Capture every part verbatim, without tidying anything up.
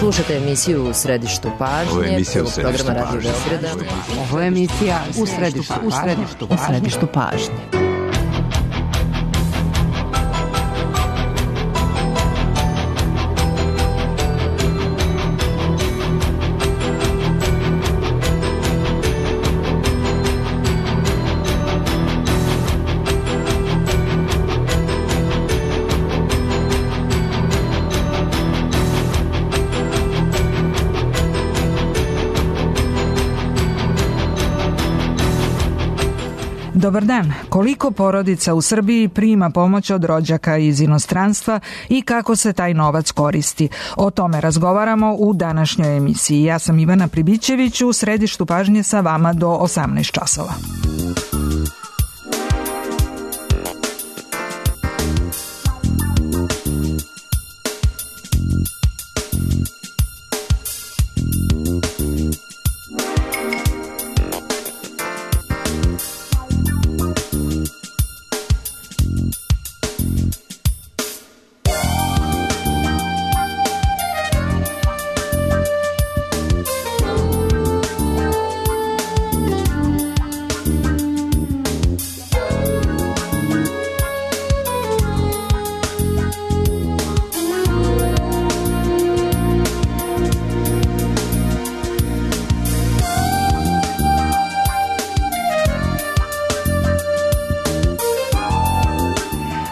Slušate emisiju U središtu pažnje. Ovo je emisija U središtu programa pažnje. Radio Beograda. Ovo je emisija U središtu, u središtu, u središtu pažnje. Dobar dan. Koliko porodica u Srbiji prima pomoć od rođaka iz inostranstva i kako se taj novac koristi? O tome razgovaramo u današnjoj emisiji. Ja sam Ivana Pribićević, u središtu pažnje sa vama do osamnaest časova.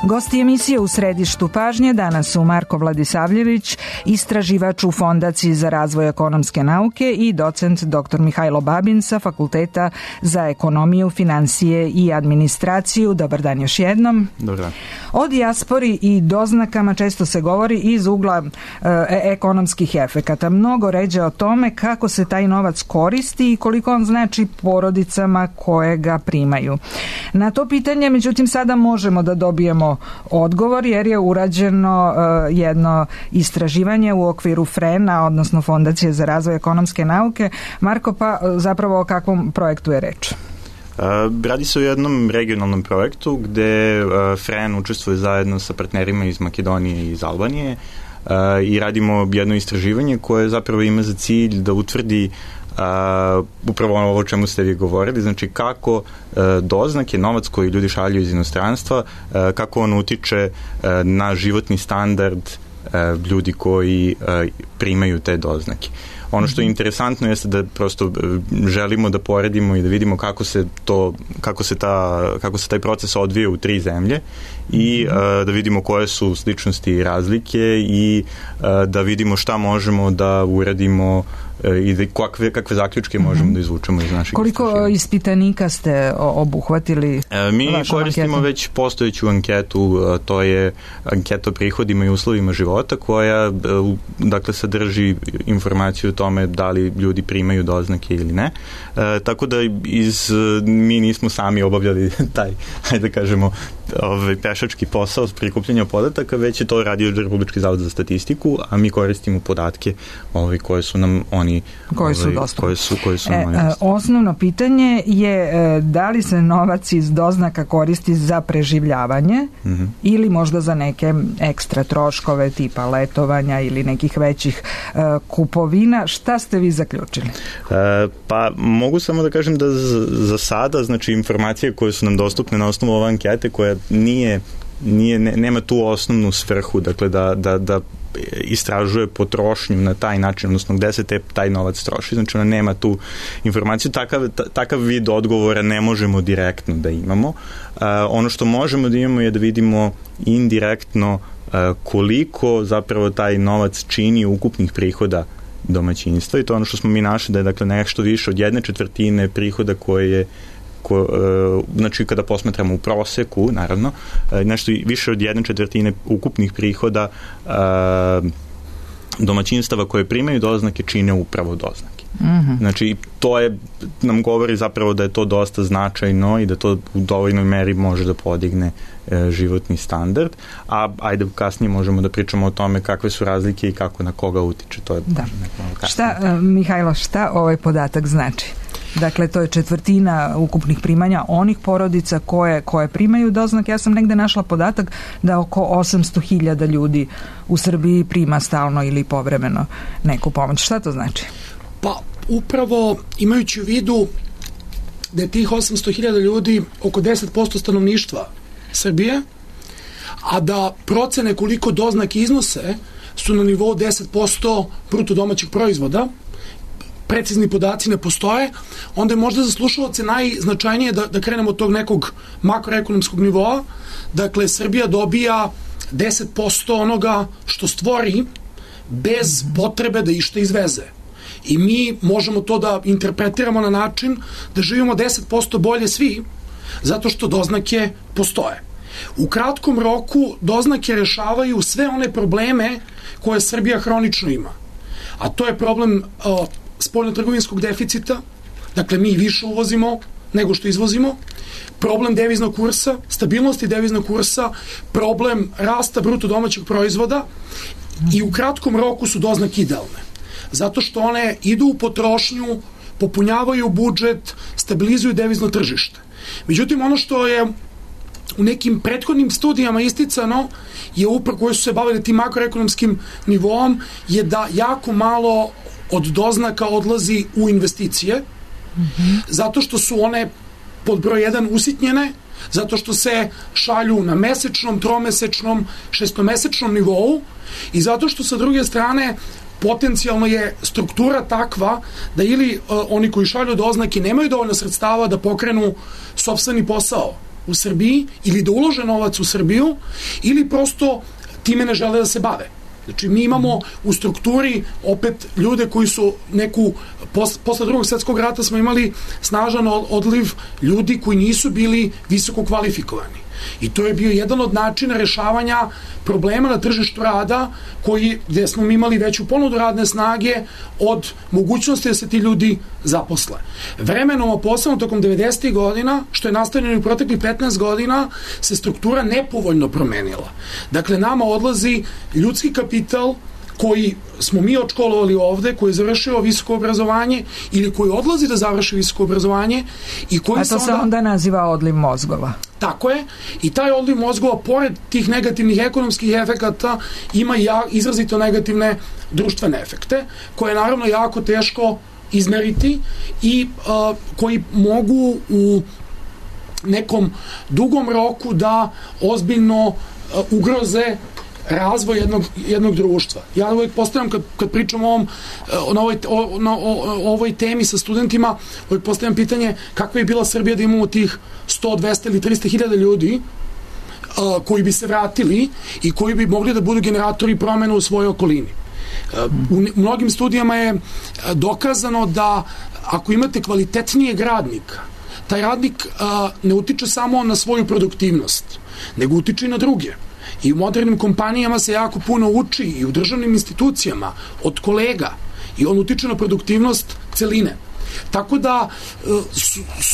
Gosti emisije U središtu pažnje danas su Marko Vladisavljević, istraživač u Fondaciji za razvoj ekonomske nauke i docent doktor Mihajlo Babin sa Fakulteta za ekonomiju, financije i administraciju. Dobar dan još jednom. Dobar dan. O dijaspori i doznakama često se govori iz ugla e, ekonomskih efekata. Mnogo ređe o tome kako se taj novac koristi i koliko on znači porodicama koje ga primaju. Na to pitanje, međutim, sada možemo da dobijemo odgovor jer je urađeno uh, jedno istraživanje u okviru FREN-a, odnosno Fondacije za razvoj ekonomske nauke. Marko, pa zapravo o kakvom projektu je reč? Uh, radi se o jednom regionalnom projektu gde uh, FREN učestvuje zajedno sa partnerima iz Makedonije i iz Albanije uh, i radimo jedno istraživanje koje zapravo ima za cilj da utvrdi Uh, upravo ovo o čemu ste vi govorili, znači kako uh, doznake, novac koji ljudi šalju iz inostranstva, uh, kako on utiče uh, na životni standard uh, ljudi koji uh, primaju te doznake. Ono što je interesantno jeste da prosto želimo da poredimo i da vidimo kako se to, kako se ta, kako se taj proces odvija u tri zemlje i uh, da vidimo koje su sličnosti i razlike i uh, da vidimo šta možemo da uradimo i da kakve, kakve zaključke možemo mm-hmm. da izvučemo iz naših Koliko istraživanja. Ispitanika ste obuhvatili? E, mi koristimo anketu? Već postojeću anketu, to je anketa o prihodima i uslovima života koja dakle sadrži informaciju o tome da li ljudi primaju doznake ili ne. E, tako da iz, mi nismo sami obavljali taj, hajde da kažemo, ovaj pešački posao s prikupljanja podataka, već je to radio Republički zavod za statistiku, a mi koristimo podatke ovaj, koje su nam oni koji su ovaj, dostupni. Koje su, koje su nam oni e, osnovno pitanje je e, da li se novac iz doznaka koristi za preživljavanje mm-hmm. ili možda za neke ekstra troškove tipa letovanja ili nekih većih e, kupovina. Šta ste vi zaključili? E, pa mogu samo da kažem da za, za sada, znači informacije koje su nam dostupne na osnovu ove ankete koja nije, nije ne, nema tu osnovnu svrhu, dakle da, da, da istražuje potrošnju na taj način, odnosno gde se te, taj novac troši, znači ona nema tu informaciju, takav, takav vid odgovora ne možemo direktno da imamo. Uh, ono što možemo da imamo je da vidimo indirektno uh, koliko zapravo taj novac čini ukupnih prihoda domaćinstva i to ono što smo mi našli da je dakle nešto više od jedne četvrtine prihoda koje je Ko, e, znači kada posmatramo u proseku, naravno, e, nešto više od jedne četvrtine ukupnih prihoda e, domaćinstava koje primaju doznake čine upravo doznake. Mm-hmm. Znači, to je, nam govori zapravo da je to dosta značajno i da to u dovoljnoj meri može da podigne e, životni standard, a ajde kasnije možemo da pričamo o tome kakve su razlike i kako na koga utiče. To je da. Šta, Mihajlo, šta ovaj podatak znači? Dakle, to je četvrtina ukupnih primanja onih porodica koje, koje primaju doznake. Ja sam negde našla podatak da oko osamsto hiljada ljudi u Srbiji prima stalno ili povremeno neku pomoć. Šta to znači? Pa upravo imajući u vidu da je tih osamsto hiljada ljudi oko deset posto stanovništva Srbije, a da procene koliko doznake iznose su na nivou deset posto bruto domaćeg proizvoda, precizni podaci ne postoje, onda je možda za slušalce najznačajnije da, da krenemo od tog nekog makroekonomskog nivoa. Dakle, Srbija dobija deset posto onoga što stvori bez potrebe da išta izveze. I mi možemo to da interpretiramo na način da živimo deset posto bolje svi, zato što doznake postoje. U kratkom roku doznake rešavaju sve one probleme koje Srbija hronično ima. A to je problem uh, spoljnotrgovinskog deficita, dakle mi više uvozimo nego što izvozimo, problem deviznog kursa, stabilnosti deviznog kursa, problem rasta bruto domaćeg proizvoda i u kratkom roku su doznake idealne. Zato što one idu u potrošnju, popunjavaju budžet, stabilizuju devizno tržište. Međutim, ono što je u nekim prethodnim studijama isticano je upravo koje su se bavili tim makroekonomskim nivoom je da jako malo od doznaka odlazi u investicije, mm-hmm. zato što su one pod broj jedan usitnjene, zato što se šalju na mesečnom, tromesečnom, šestomesečnom nivou i zato što sa druge strane potencijalno je struktura takva da ili uh, oni koji šalju doznake nemaju dovoljno sredstava da pokrenu sopstveni posao u Srbiji ili da ulože novac u Srbiju ili prosto time ne žele da se bave. Znači mi imamo u strukturi opet ljude koji su neku, pos, posle drugog svjetskog rata smo imali snažan odliv ljudi koji nisu bili visoko kvalifikovani. I to je bio jedan od načina rešavanja problema na tržištu rada koji, gde smo imali veću ponudu radne snage od mogućnosti da se ti ljudi zaposle. Vremenom, a posebno tokom devedesetih godina, što je nastavljeno u proteklih petnaest godina, se struktura nepovoljno promenila. Dakle, nama odlazi ljudski kapital koji smo mi odškolovali ovde, koji je završio visoko obrazovanje ili koji odlazi da završi visoko obrazovanje i koji a to se onda, onda naziva odliv mozgova. Tako je. I taj odliv mozgova, pored tih negativnih ekonomskih efekata, ima ja, izrazito negativne društvene efekte, koje je naravno jako teško izmeriti i uh, koji mogu u nekom dugom roku da ozbiljno uh, ugroze razvoj jednog, jednog društva. Ja uvijek postavljam, kad, kad pričam o, ovom, o, ovoj, o, o, o ovoj temi sa studentima, uvijek postavljam pitanje kakva je bila Srbija da imamo tih sto, dvesta ili trista hiljada ljudi a, koji bi se vratili i koji bi mogli da budu generatori promena u svojoj okolini. A, u, u mnogim studijama je dokazano da ako imate kvalitetnijeg radnika, taj radnik a, ne utiče samo na svoju produktivnost, nego utiče i na druge. I u modernim kompanijama se jako puno uči i u državnim institucijama od kolega i on utiče na produktivnost celine. Tako da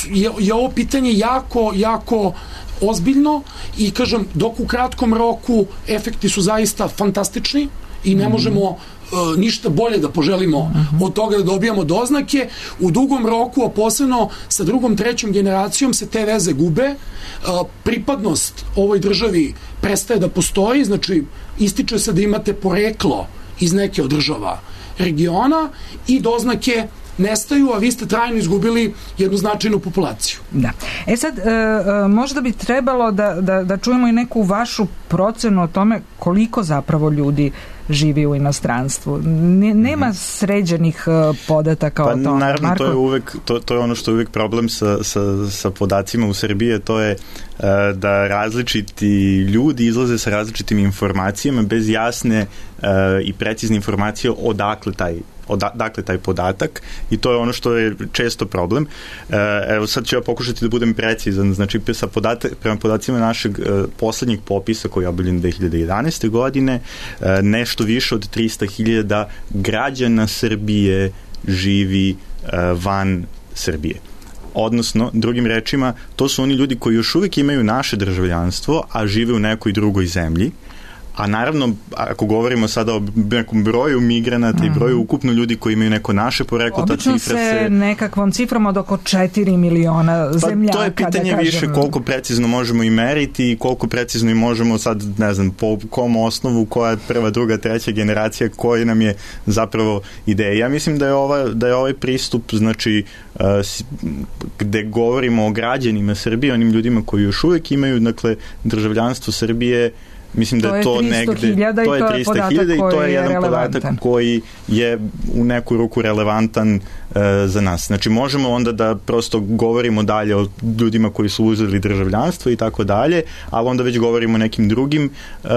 je, je ovo pitanje jako, jako ozbiljno i kažem, dok u kratkom roku efekti su zaista fantastični i ne možemo Uh, ništa bolje da poželimo uh-huh. od toga da dobijamo doznake, u dugom roku, a posebno sa drugom, trećom generacijom se te veze gube, uh, pripadnost ovoj državi prestaje da postoji, znači ističe se da imate poreklo iz neke od država regiona i doznake nestaju, a vi ste trajno izgubili jednu značajnu populaciju. Da. E sad, e, možda bi trebalo da, da, da čujemo i neku vašu procenu o tome koliko zapravo ljudi živi u inostranstvu. Ne, nema sređenih podataka pa, o tome. Naravno, Marko? to je, uvek, to, to je ono što je uvek problem sa, sa, sa podacima u Srbiji, to je uh, da različiti ljudi izlaze sa različitim informacijama bez jasne uh, i precizne informacije odakle taj odakle taj podatak i to je ono što je često problem. Evo sad ću ja pokušati da budem precizan, znači sa podatak, prema podacima našeg poslednjeg popisa koji je objavljen dve hiljade jedanaeste. godine, nešto više od trista hiljada građana Srbije živi van Srbije. Odnosno, drugim rečima, to su oni ljudi koji još uvijek imaju naše državljanstvo, a žive u nekoj drugoj zemlji, A naravno, ako govorimo sada o nekom broju migranata mm-hmm. i broju ukupno ljudi koji imaju neko naše poreklo, ta cifra se... Obično se nekakvom cifrom od oko četiri miliona zemljaka. Pa to je pitanje da više koliko precizno možemo i meriti i koliko precizno i možemo sad, ne znam, po kom osnovu, koja je prva, druga, treća generacija, koji nam je zapravo ideja. Ja mislim da je, ova, da je ovaj pristup, znači, uh, gde govorimo o građanima Srbije, onim ljudima koji još uvijek imaju, dakle, državljanstvo Srbije, mislim da je to negde, to je trista hiljada i to je jedan podatak koji je u neku ruku relevantan uh, za nas. Znači možemo onda da prosto govorimo dalje o ljudima koji su uzeli državljanstvo i tako dalje, ali onda već govorimo o nekim drugim uh,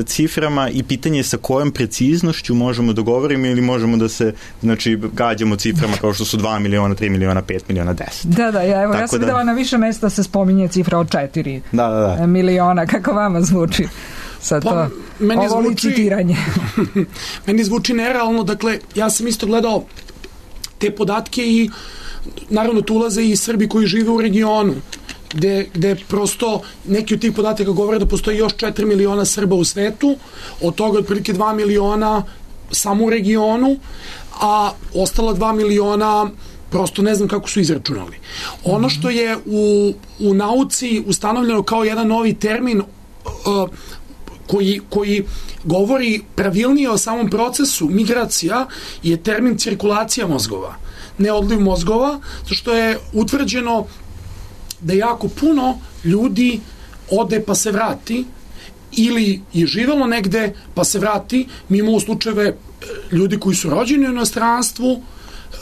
ciframa i pitanje je sa kojom preciznošću možemo da govorimo ili možemo da se, znači, gađamo ciframa kao što su dva miliona, tri miliona, pet miliona, deset. Da, da, ja, evo, ja sam videla da, na više mesta se spominje cifra od četiri da, da, da. miliona, kako vama zvuči? Sad to, pa, meni ovo zvuči, licitiranje. meni zvuči nerealno, dakle, ja sam isto gledao te podatke i naravno tu ulaze i Srbi koji žive u regionu, gde, gde prosto neki od tih podataka govore da postoji još četiri miliona Srba u svetu, od toga otprilike dva miliona samo u regionu, a ostala dva miliona prosto ne znam kako su izračunali. Ono što je u, u nauci ustanovljeno kao jedan novi termin uh, Koji, koji govori pravilnije o samom procesu migracija je termin cirkulacija mozgova, ne odliv mozgova, zato što je utvrđeno da jako puno ljudi ode pa se vrati ili je živelo negde pa se vrati. Mi imamo slučajeve ljudi koji su rođeni u inostranstvu,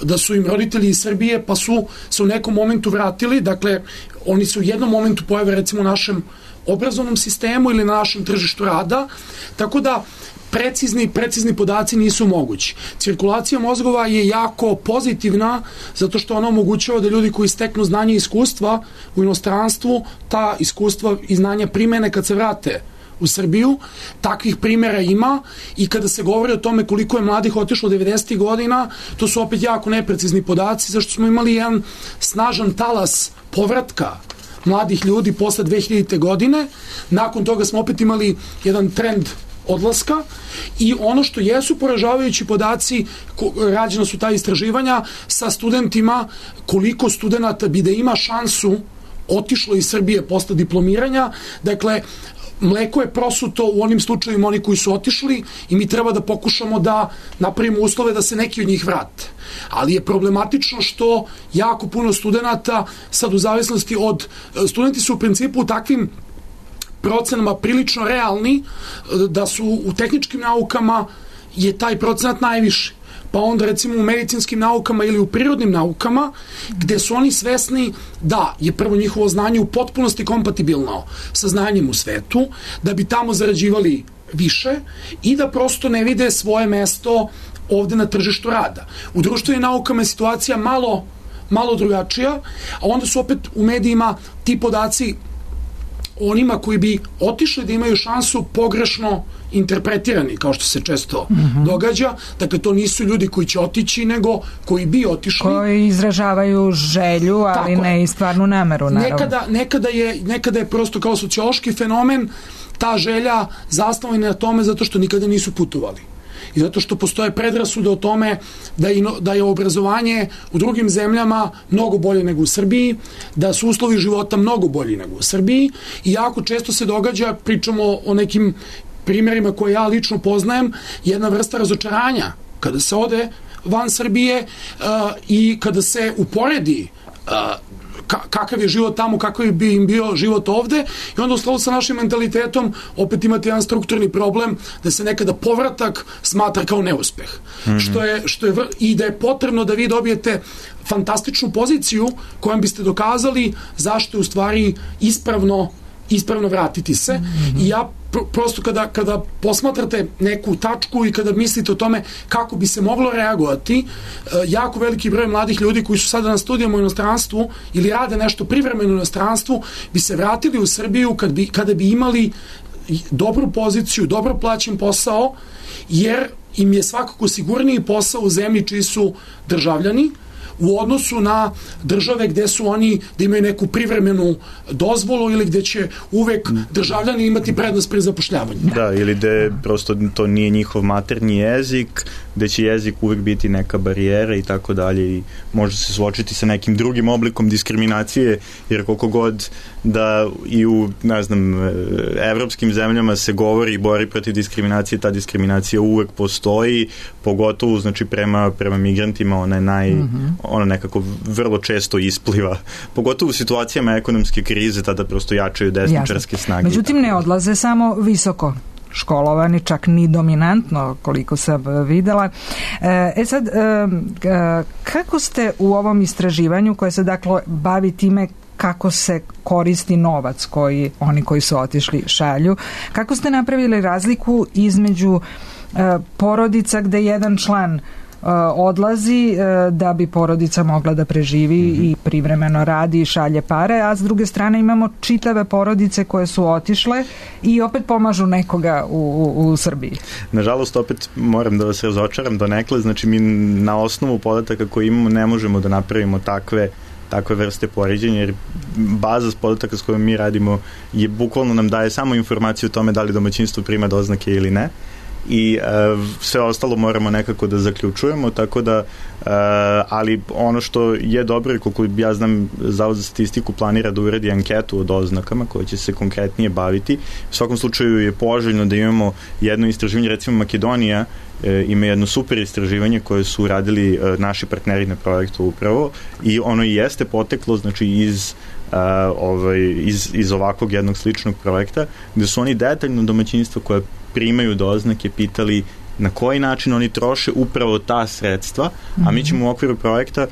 da su im roditelji iz Srbije pa su se u nekom momentu vratili, dakle oni se u jednom momentu pojave recimo u našem obrazovnom sistemu ili na našem tržištu rada, tako da precizni, precizni podaci nisu mogući. Cirkulacija mozgova je jako pozitivna zato što ona omogućava da ljudi koji steknu znanje i iskustva u inostranstvu, ta iskustva i znanja primene kad se vrate u Srbiju. Takvih primjera ima i kada se govori o tome koliko je mladih otišlo devedesetih godina, to su opet jako neprecizni podaci, zašto smo imali jedan snažan talas povratka mladih ljudi posle dve hiljadite godine. Nakon toga smo opet imali jedan trend odlaska i ono što jesu poražavajući podaci, rađena su ta istraživanja sa studentima, koliko studenata bi da ima šansu otišlo iz Srbije posle diplomiranja. Dakle, mleko je prosuto u onim slučajima oni koji su otišli i mi treba da pokušamo da napravimo uslove da se neki od njih vrate. Ali je problematično što jako puno studenata, sad u zavisnosti od, studenti su u principu u takvim procenama prilično realni, da su u tehničkim naukama je taj procenat najviši. Pa onda recimo u medicinskim naukama ili u prirodnim naukama, gde su oni svesni da je prvo njihovo znanje u potpunosti kompatibilno sa znanjem u svetu, da bi tamo zarađivali više i da prosto ne vide svoje mesto ovde na tržištu rada. U društvenim naukama je situacija malo, malo drugačija, a onda su opet u medijima ti podaci onima koji bi otišli da imaju šansu pogrešno interpretirani, kao što se često mm-hmm. događa. Dakle, to nisu ljudi koji će otići, nego koji bi otišli. Koji izražavaju želju, ali tako ne i stvarnu nameru, naravno. Nekada, nekada, je, nekada je prosto kao sociološki fenomen ta želja zasnovana na tome zato što nikada nisu putovali. I zato što postoje predrasude o tome da je, da je obrazovanje u drugim zemljama mnogo bolje nego u Srbiji, da su uslovi života mnogo bolji nego u Srbiji i jako često se događa, pričamo o nekim primjerima koje ja lično poznajem, jedna vrsta razočaranja kada se ode van Srbije uh, i kada se uporedi uh, kakav je život tamo, kakav bi im bio život ovde i onda u skladu sa našim mentalitetom opet imate jedan strukturni problem da se nekada povratak smatra kao neuspeh. Mm-hmm. Što je, što je, i da je potrebno da vi dobijete fantastičnu poziciju kojom biste dokazali zašto je u stvari ispravno ispravno vratiti se. Mm-hmm. I ja pr- prosto kada, kada posmatrate neku tačku i kada mislite o tome kako bi se moglo reagovati, e, jako veliki broj mladih ljudi koji su sada na studijama u inostranstvu ili rade nešto privremeno u inostranstvu bi se vratili u Srbiju kad bi, kada bi imali dobru poziciju, dobro plaćen posao, jer im je svakako sigurniji posao u zemlji čiji su državljani, u odnosu na države gde su oni, da imaju neku privremenu dozvolu ili gde će uvek državljani imati prednost pri zapošljavanju. Da, ili gde prosto to nije njihov maternji jezik, gde će jezik uvek biti neka barijera i tako dalje i može se suočiti sa nekim drugim oblikom diskriminacije, jer koliko god da i u, ne znam, evropskim zemljama se govori i bori protiv diskriminacije, ta diskriminacija uvek postoji, pogotovo, znači, prema, prema migrantima ona je naj, mm-hmm. ona nekako vrlo često ispliva, pogotovo u situacijama ekonomske krize, tada prosto jačaju desničarske snage. Međutim, ne odlaze samo visoko školovani, čak ni dominantno, koliko sam videla. E sad, kako ste u ovom istraživanju koje se dakle bavi time kako se koristi novac koji oni koji su otišli šalju, kako ste napravili razliku između porodica gde jedan član odlazi da bi porodica mogla da preživi mm-hmm. i privremeno radi i šalje pare, a s druge strane imamo čitave porodice koje su otišle i opet pomažu nekoga u, u, u Srbiji. Nažalost, opet moram da vas razočaram donekle, znači mi na osnovu podataka koje imamo ne možemo da napravimo takve takve vrste poređenja, jer baza podataka s kojom mi radimo je bukvalno nam daje samo informaciju o tome da li domaćinstvo prima doznake ili ne i uh, sve ostalo moramo nekako da zaključujemo, tako da uh, ali ono što je dobro i koliko ja znam, Zavod za statistiku planira da uradi anketu o doznakama koja će se konkretnije baviti. U svakom slučaju je poželjno da imamo jedno istraživanje, recimo Makedonija e, ima jedno super istraživanje koje su uradili e, naši partneri na projektu upravo i ono i jeste poteklo, znači iz Uh, ovaj, iz, iz ovakvog jednog sličnog projekta, gde su oni detaljno domaćinstva koje primaju doznake pitali na koji način oni troše upravo ta sredstva, mm-hmm. a mi ćemo u okviru projekta uh,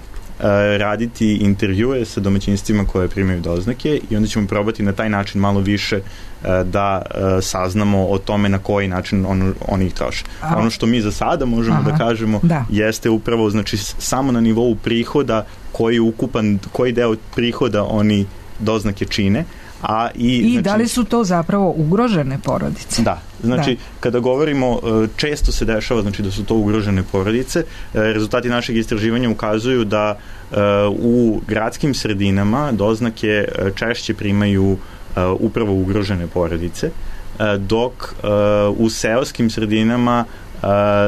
raditi intervjue sa domaćinstvima koje primaju doznake i onda ćemo probati na taj način malo više uh, da uh, saznamo o tome na koji način on, oni ih troše. A, ono što mi za sada možemo aha, da kažemo da. jeste upravo, znači, samo na nivou prihoda koji ukupan, koji deo prihoda oni doznake čine, a i, I znači, da li su to zapravo ugrožene porodice? Da, znači da. kada govorimo, često se dešava znači da su to ugrožene porodice. Rezultati našeg istraživanja ukazuju da uh, u gradskim sredinama doznake češće primaju uh, upravo ugrožene porodice, uh, dok uh, u seoskim sredinama Uh,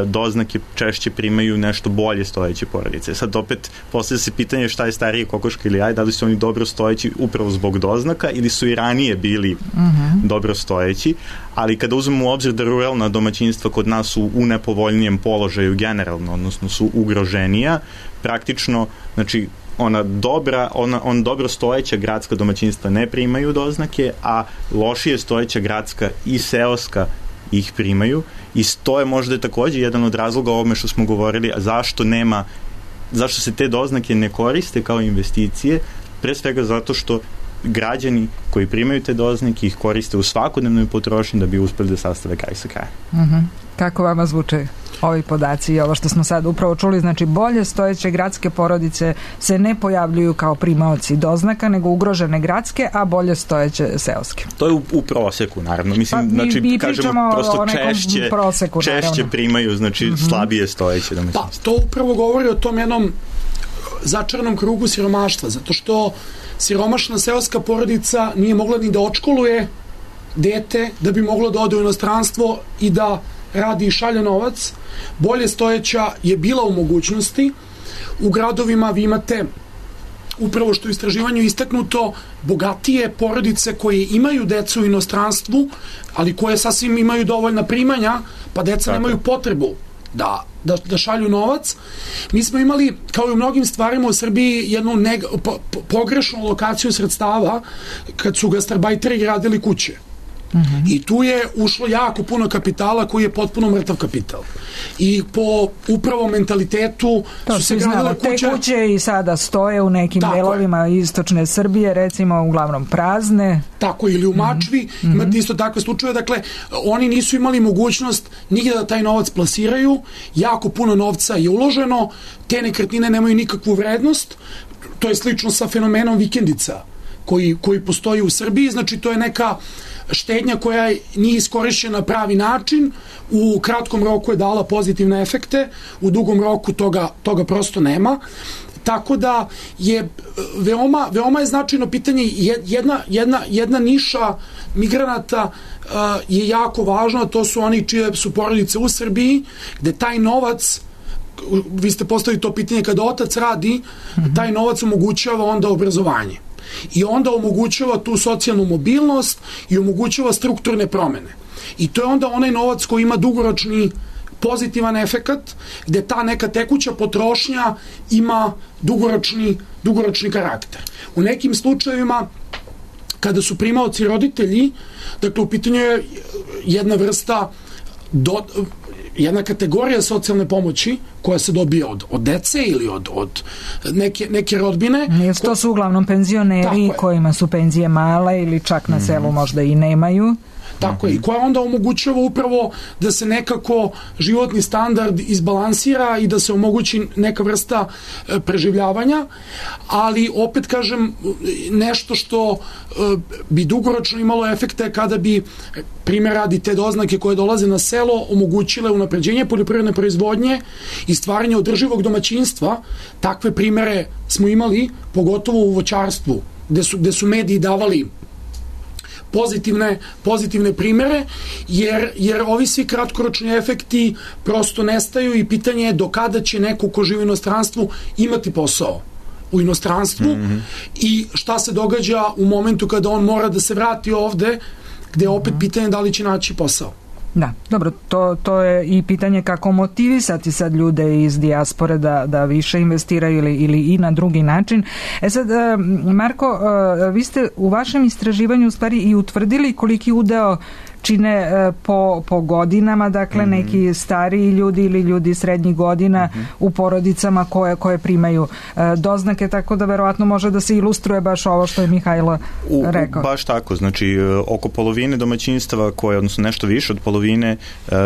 doznake češće primaju nešto bolje stojeće porodice. Sad opet postavlja se pitanje šta je starije, kokoška ili jaj, da li su oni dobro stojeći upravo zbog doznaka ili su i ranije bili uh-huh. dobro stojeći, ali kada uzmemo u obzir da ruralna domaćinstva kod nas su u nepovoljnijem položaju generalno, odnosno su ugroženija, praktično, znači ona dobra, ona, on dobro stojeća gradska domaćinstva ne primaju doznake, a lošije stojeća gradska i seoska ih primaju i to je možda takođe jedan od razloga o ovome što smo govorili, a zašto nema, zašto se te doznake ne koriste kao investicije, pre svega zato što građani koji primaju te doznake ih koriste u svakodnevnoj potrošnji da bi uspeli da sastave kraj sa krajem. Uh-huh. Kako vama zvuče ovi podaci i ovo što smo sad upravo čuli, znači bolje stojeće gradske porodice se ne pojavljuju kao primaoci doznaka, nego ugrožene gradske, a bolje stojeće seoske. To je u, u proseku, naravno. Mislim, pa, znači, mi, mi kažemo, prosto češće, proseku, češće primaju, znači, mm-hmm. slabije stojeće domaćinstva. Pa, to upravo govori o tom jednom začaranom krugu siromaštva, zato što siromašna seoska porodica nije mogla ni da odškoluje dete da bi moglo da ode u inostranstvo i da radi i šalje novac. Bolje stojeća je bila u mogućnosti. U gradovima vi imate, upravo što u istraživanju istaknuto, bogatije porodice koje imaju decu u inostranstvu, ali koje sasvim imaju dovoljna primanja, pa deca Tako. nemaju potrebu da, da, da šalju novac. Mi smo imali, kao i u mnogim stvarima u Srbiji, jednu neg, po, po, pogrešnu lokaciju sredstava kad su gastarbajteri gradili kuće. Uh-huh. I tu je ušlo jako puno kapitala koji je potpuno mrtav kapital. I po upravo mentalitetu to su se gradile kuće. Te kuće i sada stoje u nekim tako delovima je. Istočne Srbije, recimo uglavnom prazne. Tako, ili u Mačvi. Uh-huh. Imate isto takve slučaje. Dakle, oni nisu imali mogućnost nigde da taj novac plasiraju. Jako puno novca je uloženo. Te nekretnine nemaju nikakvu vrednost. To je slično sa fenomenom vikendica koji, koji postoji u Srbiji. Znači, to je neka štednja koja nije iskorišćena na pravi način, u kratkom roku je dala pozitivne efekte, u dugom roku toga, toga prosto nema. Tako da je veoma, veoma je značajno pitanje, jedna, jedna, jedna niša migranata uh, je jako važna, to su oni čije su porodice u Srbiji, gde taj novac, vi ste postavili to pitanje, kada otac radi, mm-hmm. taj novac omogućava onda obrazovanje. I onda omogućava tu socijalnu mobilnost i omogućava strukturne promene. I to je onda onaj novac koji ima dugoročni pozitivan efekat, gde ta neka tekuća potrošnja ima dugoročni, dugoročni karakter. U nekim slučajevima, kada su primaoci roditelji, dakle u pitanju je jedna vrsta do, jedna kategorija socijalne pomoći koja se dobija od, od dece ili od, od neke, neke rodbine. Jesu to su uglavnom penzioneri kojima su penzije male ili čak na selu možda i nemaju. Tako je, i koja onda omogućava upravo da se nekako životni standard izbalansira i da se omogući neka vrsta e, preživljavanja, ali opet kažem, nešto što e, bi dugoročno imalo efekte kada bi, primjer radi, te doznake koje dolaze na selo omogućile unapređenje poljoprivredne proizvodnje i stvaranje održivog domaćinstva. Takve primere smo imali, pogotovo u voćarstvu, gde su, gde su mediji davali pozitivne, pozitivne primere, jer, jer ovi svi kratkoročni efekti prosto nestaju i pitanje je do kada će neko ko živi u inostranstvu imati posao u inostranstvu mm-hmm. i šta se događa u momentu kada on mora da se vrati ovde, gde je opet pitanje da li će naći posao. Da, dobro, to, to je i pitanje kako motivisati sad ljude iz dijaspore da, da više investiraju ili, ili i na drugi način. E sad, Marko, vi ste u vašem istraživanju u stvari i utvrdili koliki udeo čine po, po godinama, dakle mm-hmm. neki stariji ljudi ili ljudi srednjih godina mm-hmm. u porodicama koje, koje primaju doznake, tako da verovatno može da se ilustruje baš ovo što je Mihajlo rekao. U, baš tako, znači oko polovine domaćinstava koje, odnosno nešto više od polovine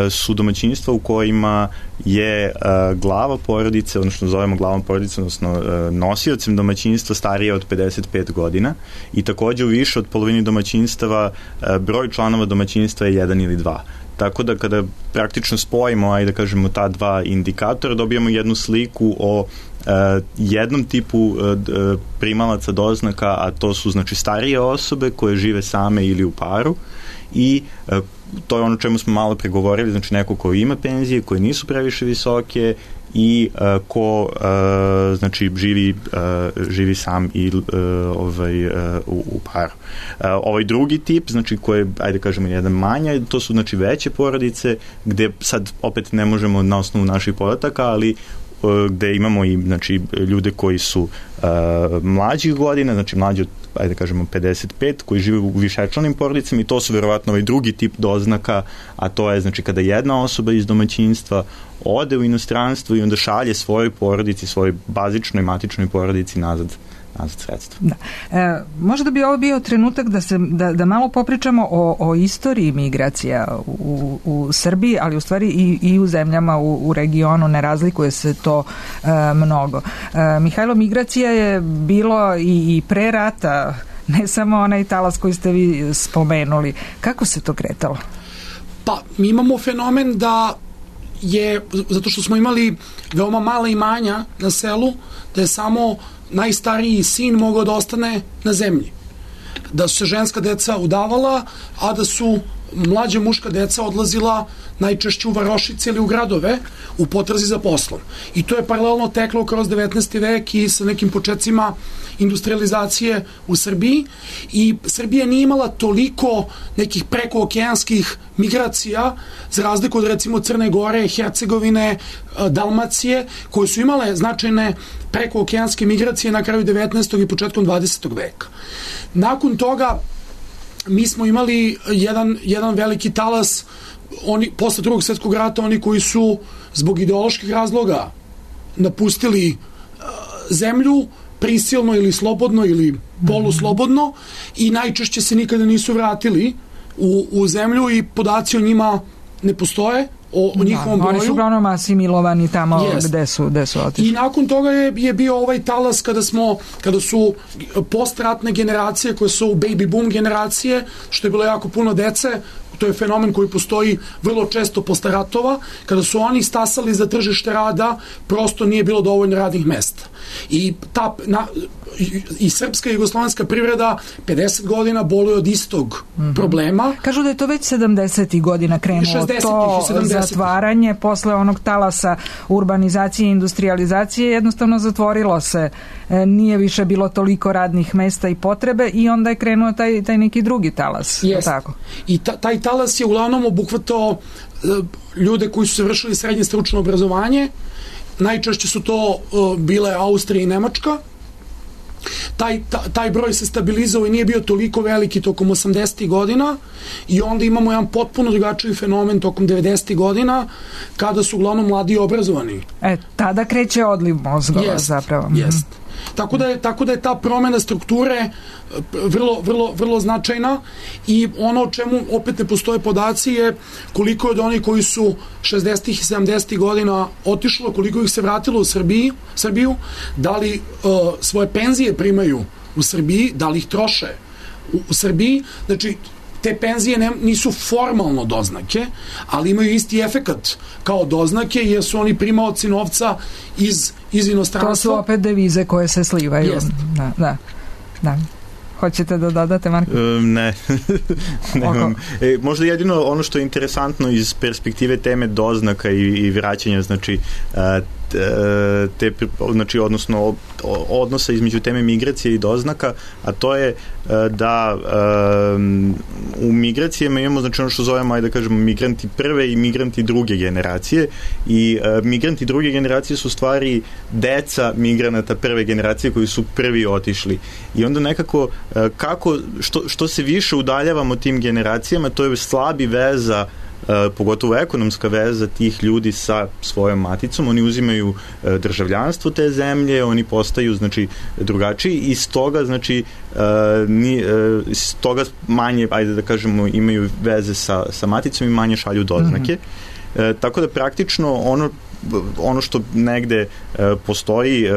su domaćinstva u kojima je glava porodice, odnosno zovemo glavom porodice, odnosno nosiocem domaćinstva starije od pedeset pet godina i takođe u više od polovine domaćinstava broj članova domaćinstva je jedan ili dva. Tako da kada praktično spojimo, ajde da kažemo, ta dva indikatora, dobijamo jednu sliku o uh, jednom tipu uh, primalaca doznaka, a to su znači starije osobe koje žive same ili u paru i uh, to je ono čemu smo malo pregovorili, znači neko ko ima penzije, koje nisu previše visoke i uh, ko uh, znači živi, uh, živi sam i uh, ovaj, uh, u, u paru. Uh, ovaj drugi tip, znači koji je, ajde kažemo, jedan manja, to su znači veće porodice, gde sad opet ne možemo na osnovu naših podataka, ali uh, gde imamo i znači ljude koji su uh, mlađih godina, znači mlađi od, ajde kažemo, pedeset pet, koji žive u višečlanim porodicama i to su verovatno ovaj drugi tip doznaka, a to je znači kada jedna osoba iz domaćinstva ode u inostranstvo i onda šalje svojoj porodici, svojoj bazičnoj matičnoj porodici nazad, nazad sredstva. Da. E, možda bi ovo bio trenutak da, se, da, da malo popričamo o, o istoriji migracija u, u Srbiji, ali u stvari i, i u zemljama u, u regionu, ne razlikuje se to e, mnogo. E, Mihajlo, migracija je bilo i, i pre rata, ne samo onaj talas koji ste vi spomenuli. Kako se to kretalo? Pa, mi imamo fenomen da je, zato što smo imali veoma mala imanja na selu, da je samo najstariji sin mogao da ostane na zemlji. Da su se ženska deca udavala, a da su mlađa muška deca odlazila najčešće u varošice ili u gradove u potrazi za poslom. I to je paralelno teklo kroz devetnaesti vek i sa nekim početcima industrializacije u Srbiji i Srbija nije imala toliko nekih prekookeanskih migracija za razliku od recimo Crne Gore, Hercegovine, Dalmacije, koje su imale značajne prekookeanske migracije na kraju devetnaestog i početkom dvadesetog veka. Nakon toga mi smo imali jedan, jedan veliki talas, oni, posle drugog svjetskog rata, oni koji su zbog ideoloških razloga napustili uh, zemlju, prisilno ili slobodno ili poluslobodno i najčešće se nikada nisu vratili u, u zemlju i podaci o njima ne postoje, o, o njihovom da, broju. Oni su uglavnom asimilovani tamo yes. gde su, gde su otišli. I nakon toga je, je bio ovaj talas kada smo, kada su postratne generacije koje su baby boom generacije, što je bilo jako puno dece to je fenomen koji postoji vrlo često posle ratova, kada su oni stasali za tržište rada, prosto nije bilo dovoljno radnih mesta. I ta na, i srpska i jugoslovenska privreda pedeset godina boluje od istog mm-hmm. problema. Kažu da je to već sedamdesetih godina krenulo to zatvaranje posle onog talasa urbanizacije i industrializacije, jednostavno zatvorilo se, nije više bilo toliko radnih mesta i potrebe i onda je krenuo taj, taj neki drugi talas. Tako. I ta, taj talas je uglavnom obuhvatao ljude koji su se vršili srednje stručno obrazovanje. Najčešće su to uh, bile Austrija i Nemačka. Taj, ta, taj broj se stabilizovao i nije bio toliko veliki tokom osamdesetih godina i onda imamo jedan potpuno drugačiji fenomen tokom devedesetih godina kada su uglavnom mladi i obrazovani. E, tada kreće odliv mozgova jest, zapravo. Jest. Tako da, je, tako da je ta promena strukture vrlo, vrlo, vrlo značajna i ono o čemu opet ne postoje podaci je koliko je od onih koji su šezdesetih i sedamdesetih godina otišlo, koliko ih se vratilo u Srbiji, Srbiju, da li uh, svoje penzije primaju u Srbiji, da li ih troše u, u Srbiji, znači te penzije ne, nisu formalno doznake, ali imaju isti efekat kao doznake jer su oni primaoci novca iz, iz inostranstva. To su opet devize koje se slivaju. Jest. Da, da, da. Hoćete da dodate, Marko? E, ne. Nemam. E, možda jedino ono što je interesantno iz perspektive teme doznaka i, i vraćanja, znači te, znači odnosno odnosa između teme migracije i doznaka, a to je da um, u migracijama imamo znači ono što zovemo, ajde da kažemo, migranti prve i migranti druge generacije i uh, migranti druge generacije su stvari deca migranata prve generacije koji su prvi otišli i onda nekako uh, kako, što, što se više udaljavamo tim generacijama, to je slabi veza Uh, pogotovo ekonomska veza tih ljudi sa svojom maticom, oni uzimaju uh, državljanstvo te zemlje, oni postaju znači drugačiji i stoga znači uh, ni, uh, stoga manje, ajde da kažemo, imaju veze sa, sa maticom i manje šalju doznake. Mm-hmm. Uh, tako da praktično ono ono što negde e, postoji, e,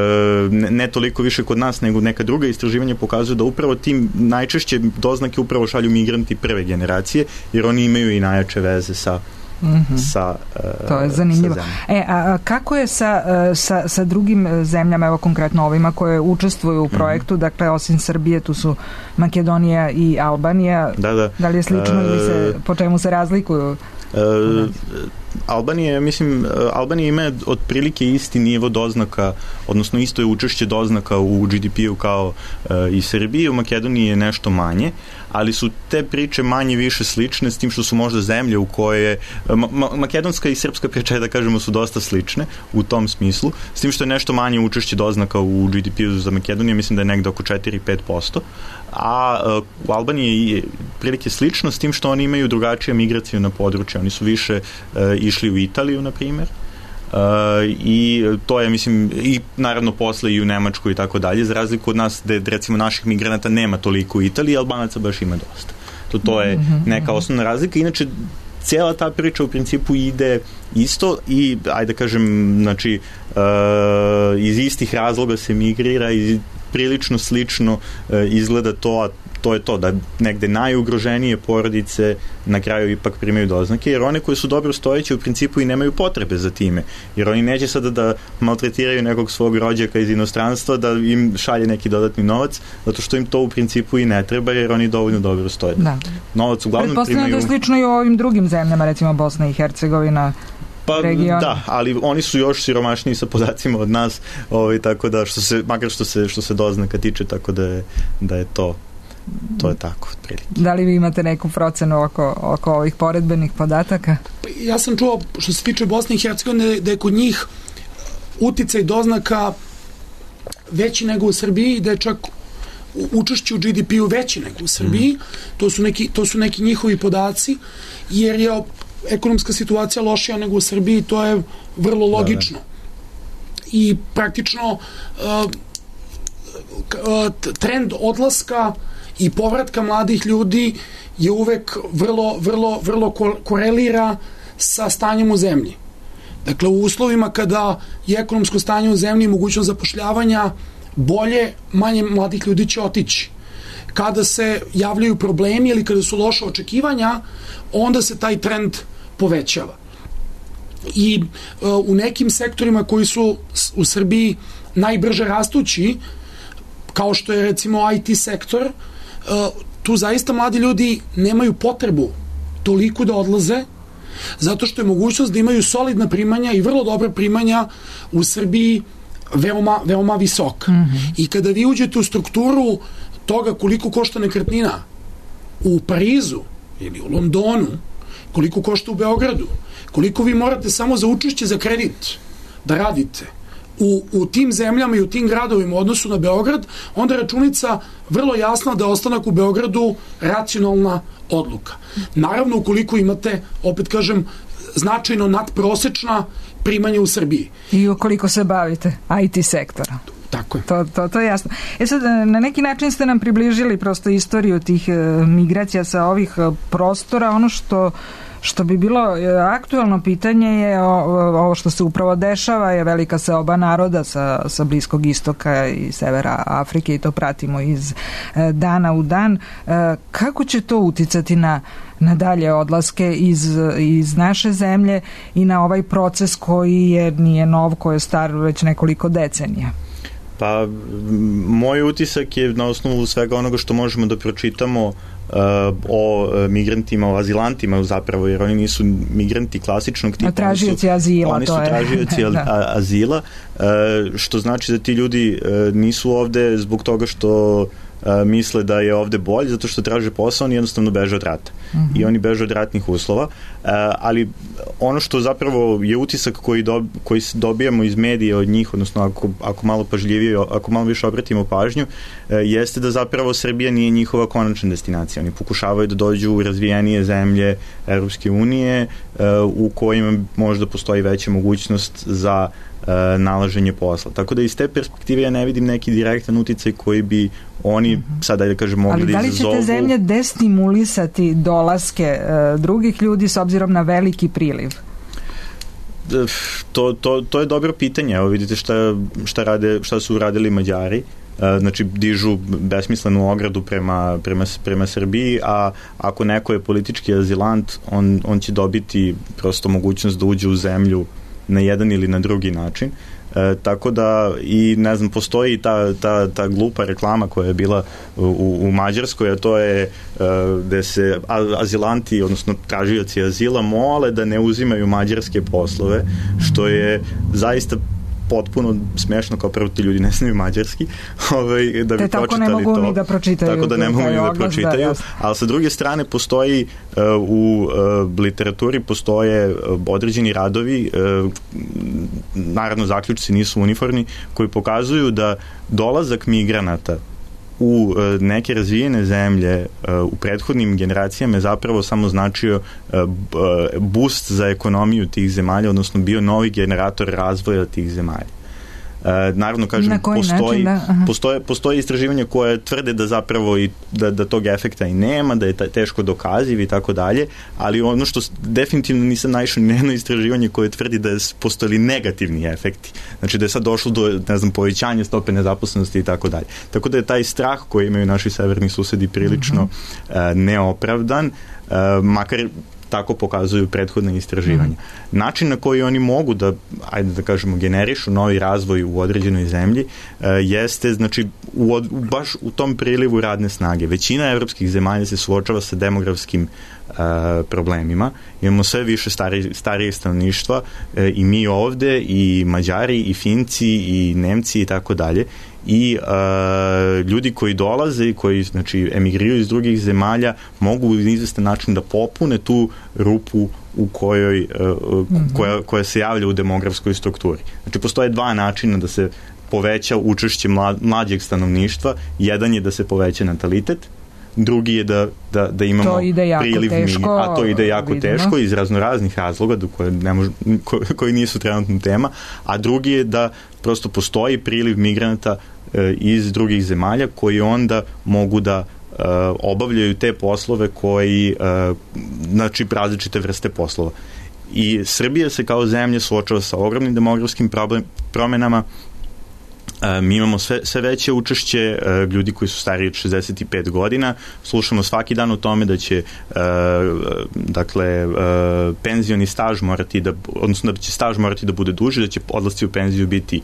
ne, ne toliko više kod nas, nego neka druga istraživanja pokazuju da upravo tim najčešće doznake upravo šalju migranti prve generacije, jer oni imaju i najjače veze sa Mm-hmm. sa uh, to je zanimljivo. E, a kako je sa, sa, sa drugim zemljama, evo konkretno ovima koje učestvuju u projektu, mm-hmm. dakle osim Srbije tu su Makedonija i Albanija, da, da. Da li je slično uh, ili se, po čemu se razlikuju? Uh, Albanija, mislim, Albanija ima otprilike isti nivo doznaka, odnosno isto je učešće doznaka u G D P-u kao uh, i Srbiji, u Makedoniji je nešto manje, ali su te priče manje više slične, s tim što su možda zemlje u koje ma, ma, makedonska i srpska priča, da kažemo, su dosta slične u tom smislu, s tim što je nešto manje učešće doznaka u G D P-u za Makedoniju, mislim da je negde oko četiri do pet posto, a uh, u Albaniji je prilike slično, s tim što oni imaju drugačije migracije na područje, oni su više uh, išli u Italiju, na primjer, uh, i to je, mislim, i naravno posle i u Nemačku i tako dalje, za razliku od nas, gde recimo naših migranata nema toliko u Italiji, Albanaca baš ima dosta. To, to je neka osnovna razlika. Inače, cijela ta priča u principu ide isto i, ajde da kažem, znači, uh, iz istih razloga se migrira i prilično slično uh, izgleda to, a to je to, da negde najugroženije porodice na kraju ipak primaju doznake, jer one koje su dobro stojeće u principu i nemaju potrebe za time, jer oni neće sada da maltretiraju nekog svog rođaka iz inostranstva da im šalje neki dodatni novac, zato što im to u principu i ne treba, jer oni dovoljno dobro stoje. Da. Novac uglavnom primaju... Pretpostavljam da je slično i u ovim drugim zemljama, recimo Bosna i Hercegovina, pa region. Da, ali oni su još siromašniji sa podacima od nas, ovaj, tako da, što se, makar što se, što se doznaka tiče, tako da je, da je to to je tako, otprilike. Da li vi imate neku procenu oko, oko ovih poredbenih podataka? Ja sam čuo, što se tiče Bosne i Hercegovine, da je kod njih uticaj doznaka veći nego u Srbiji, da je čak učešće u G D P-u veći nego u Srbiji. Mm. To su neki, to su neki njihovi podaci, jer je ekonomska situacija lošija nego u Srbiji, to je vrlo logično. Da, da. I praktično uh, trend odlaska i povratka mladih ljudi je uvek vrlo, vrlo, vrlo korelira sa stanjem u zemlji. Dakle, u uslovima kada je ekonomsko stanje u zemlji i mogućnost zapošljavanja bolje, manje mladih ljudi će otići. kada se javljaju problemi ili kada su loša očekivanja, onda se taj trend povećava. I uh, u nekim sektorima koji su u Srbiji najbrže rastući, kao što je recimo I T sektor, uh, tu zaista mladi ljudi nemaju potrebu toliko da odlaze, zato što je mogućnost da imaju solidna primanja i vrlo dobra primanja u Srbiji veoma, veoma visoka. Mm-hmm. I kada vi uđete u strukturu toga koliko košta nekretnina u Parizu ili u Londonu, koliko košta u Beogradu, koliko vi morate samo za učešće za kredit da radite u, u tim zemljama i u tim gradovima u odnosu na Beograd, onda je računica vrlo jasna da ostanak u Beogradu racionalna odluka. Naravno, ukoliko imate, opet kažem, značajno nadprosečna primanja u Srbiji. I ukoliko se bavite I T sektora. Tako je. To, to, to je jasno. E sad, na neki način ste nam približili prosto istoriju tih e, migracija sa ovih e, prostora. Ono što Što bi bilo aktuelno pitanje je ovo što se upravo dešava, je velika seoba naroda sa, sa Bliskog istoka i severa Afrike i to pratimo iz dana u dan. Kako će to uticati na, na dalje odlaske iz, iz naše zemlje i na ovaj proces koji je, nije nov, koji je star već nekoliko decenija? Pa, moj utisak je na osnovu svega onoga što možemo da pročitamo Uh, o uh, migrantima, o azilantima zapravo, jer oni nisu migranti klasičnog tipa. Tražioci azila, oni su, to je. Oni su tražioci da. azila, uh, što znači da ti ljudi uh, nisu ovde zbog toga što uh, misle da je ovde bolje, zato što traže posao, oni jednostavno beže od rata. Mm-hmm. I oni beže od ratnih uslova. Uh, ali ono što zapravo je utisak koji, do, koji dobijamo iz medija od njih, odnosno ako, ako malo pažljivije, ako malo više obratimo pažnju, uh, jeste da zapravo Srbija nije njihova konačna destinacija. Oni pokušavaju da dođu u razvijenije zemlje Evropske unije uh, u kojima možda postoji veća mogućnost za uh, nalaženje posla. Tako da iz te perspektive ja ne vidim neki direktan uticaj koji bi oni mm-hmm. sada da kažem mogli da izazovu. Ali da li će te zemlje destimulisati dolaske uh, drugih ljudi s obzirom na veliki priliv? To, to, to je dobro pitanje. Evo vidite šta, šta, rade, šta su uradili Mađari. Znači dižu besmislenu ogradu prema, prema, prema Srbiji, a ako neko je politički azilant, on, on će dobiti prosto mogućnost da uđe u zemlju na jedan ili na drugi način. E, tako da i ne znam, postoji ta, ta, ta glupa reklama koja je bila u, u Mađarskoj, a to je e, gde se azilanti, odnosno tražioci azila mole da ne uzimaju mađarske poslove, što je zaista potpuno smešno, kao prvo ti ljudi ne znaju mađarski, ovaj, da bi te pročitali to. Tako ne mogu ni da pročitaju. Tako da ne mogu ni da pročitaju, da, ali sa druge strane postoji uh, u uh, literaturi postoje uh, određeni radovi, uh, naravno zaključci nisu uniformni, koji pokazuju da dolazak migranata u uh, neke razvijene zemlje uh, u prethodnim generacijama je zapravo samo značio uh, boost za ekonomiju tih zemalja, odnosno bio novi generator razvoja tih zemalja. Uh, naravno, kažem, postoji, da? postoje, postoje istraživanja koje tvrde da zapravo i da, da tog efekta i nema, da je teško dokaziv i tako dalje, ali ono što definitivno nisam naišao ni jedno istraživanje koje tvrdi da je postojali negativni efekti. Znači da je sad došlo do, ne znam, povećanja stope nezaposlenosti i tako dalje. Tako da je taj strah koji imaju naši severni susedi prilično mm-hmm. uh, neopravdan, uh, makar tako pokazuju prethodne istraživanja. Mm. Način na koji oni mogu da, ajde da kažemo, generišu novi razvoj u određenoj zemlji uh, jeste, znači, u, od, baš u tom prilivu radne snage. Većina evropskih zemalja se suočava sa demografskim uh, problemima. Imamo sve više stari, starijeg stanovništva uh, i mi ovde, i Mađari, i Finci, i Nemci i tako dalje. I uh, ljudi koji dolaze i koji, znači, emigriraju iz drugih zemalja mogu u izvestan način da popune tu rupu u kojoj, uh, mm-hmm. koja, koja se javlja u demografskoj strukturi. Znači, postoje dva načina da se poveća učešće mla, mlađeg stanovništva. Jedan je da se poveća natalitet, drugi je da, da, da imamo priliv teško, a to ide jako vidimo. teško iz raznoraznih razloga do koje ne mož, ko, koji nisu trenutno tema, a drugi je da prosto postoji priliv migranata e, iz drugih zemalja koji onda mogu da e, obavljaju te poslove koji, e, znači različite vrste poslova. I Srbija se kao zemlja suočava sa ogromnim demografskim problem, promenama, mi imamo sve, sve veće učešće ljudi koji su stariji od šezdeset pet godina. Slušamo svaki dan o tome da će dakle penzioni staž morati da, odnosno da će staž morati da bude duži, da će odlasci u penziju biti,